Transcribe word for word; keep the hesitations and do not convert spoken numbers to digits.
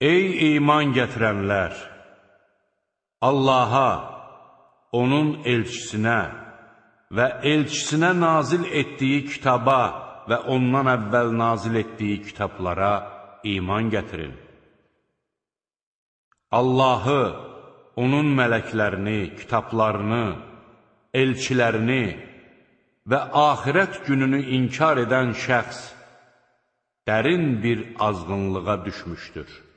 Ey iman gətirənlər! Allaha, onun elçisinə və elçisinə nazil etdiyi kitaba və ondan əvvəl nazil etdiyi kitablara iman gətirin. Allahı, onun mələklərini, kitablarını, elçilərini və axirət gününü inkar edən şəxs dərin bir azğınlığa düşmüşdür.